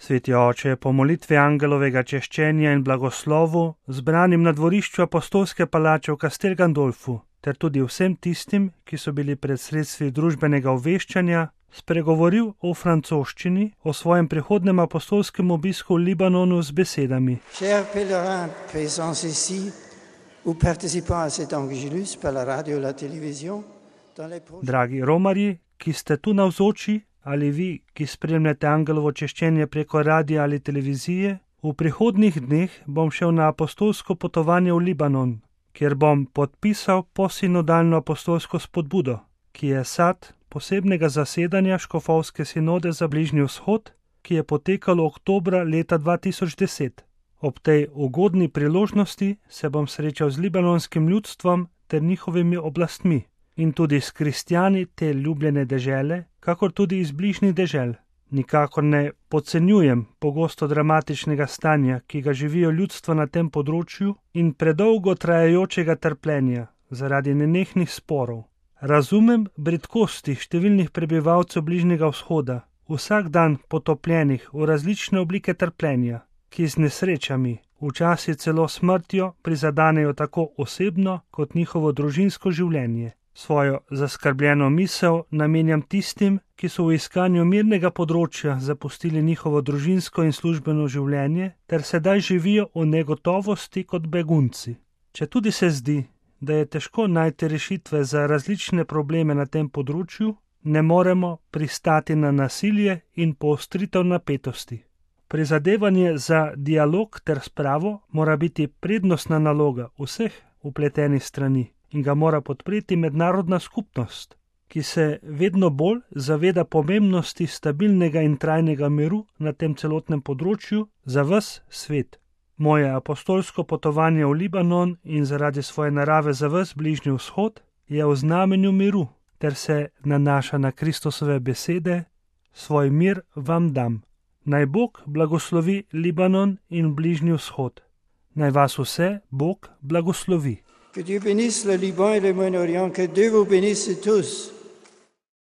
Sveti oče, po molitvi angelovega češčenja in blagoslovu, zbranim na dvorišču apostolske palače v Castel Gandolfu, ter tudi vsem tistim, ki so bili pred sredstvi družbenega obveščanja, spregovoril o francoščini, o svojem prihodnem apostolskem obisku v Libanonu z besedami. Chers pèlerins présents ici, ou participants à cet angélus par la radio et la télévision, Dragi romarji, ki ste tu navzoči, ali vi, ki spremljate angelovo češčenje preko radia ali televizije, v prihodnjih dneh bom šel na apostolsko potovanje v Libanon, kjer bom podpisal posinodalno apostolsko spodbudo, ki je sad posebnega zasedanja škofovske sinode za Bližnji vzhod, ki je potekalo oktobra leta 2010. Ob tej ugodni priložnosti se bom srečal z libanonskim ljudstvom ter njihovimi oblastmi in tudi s kristjani te ljubljene dežele, kakor tudi iz bližnjih dežel. Nikakor ne podcenjujem pogosto dramatičnega stanja, ki ga živijo ljudstva na tem področju in predolgo trajajočega trpljenja zaradi nenehnih sporov. Razumem bridkosti številnih prebivalcev Bližnjega vzhoda, vsak dan potopljenih v različne oblike trpljenja, ki z nesrečami, včasih celo smrtjo, prizadanejo tako osebno kot njihovo družinsko življenje. Svojo zaskrbljeno misel namenjam tistim, ki so v iskanju mirnega področja zapustili njihovo družinsko in službeno življenje ter sedaj živijo v negotovosti kot begunci. Četudi se zdi, da je težko najti rešitve za različne probleme na tem področju, ne moremo pristati na nasilje in poostritev napetosti. Prizadevanje za dialog ter spravo mora biti prednostna naloga vseh vpletenih strani in ga mora podpreti mednarodna skupnost, ki se vedno bolj zaveda pomembnosti stabilnega in trajnega miru na tem celotnem področju za ves svet. Moje apostolsko potovanje v Libanon in zaradi svoje narave za ves Bližnji vzhod je v znamenju miru, ter se nanaša na Kristusove besede: svoj mir vam dam. Naj Bog blagoslovi Libanon in Bližnji vzhod. Naj vas vse Bog blagoslovi. Que Dieu bénisse le Liban et le Moyen-Orient, que Dieu vous bénisse tous.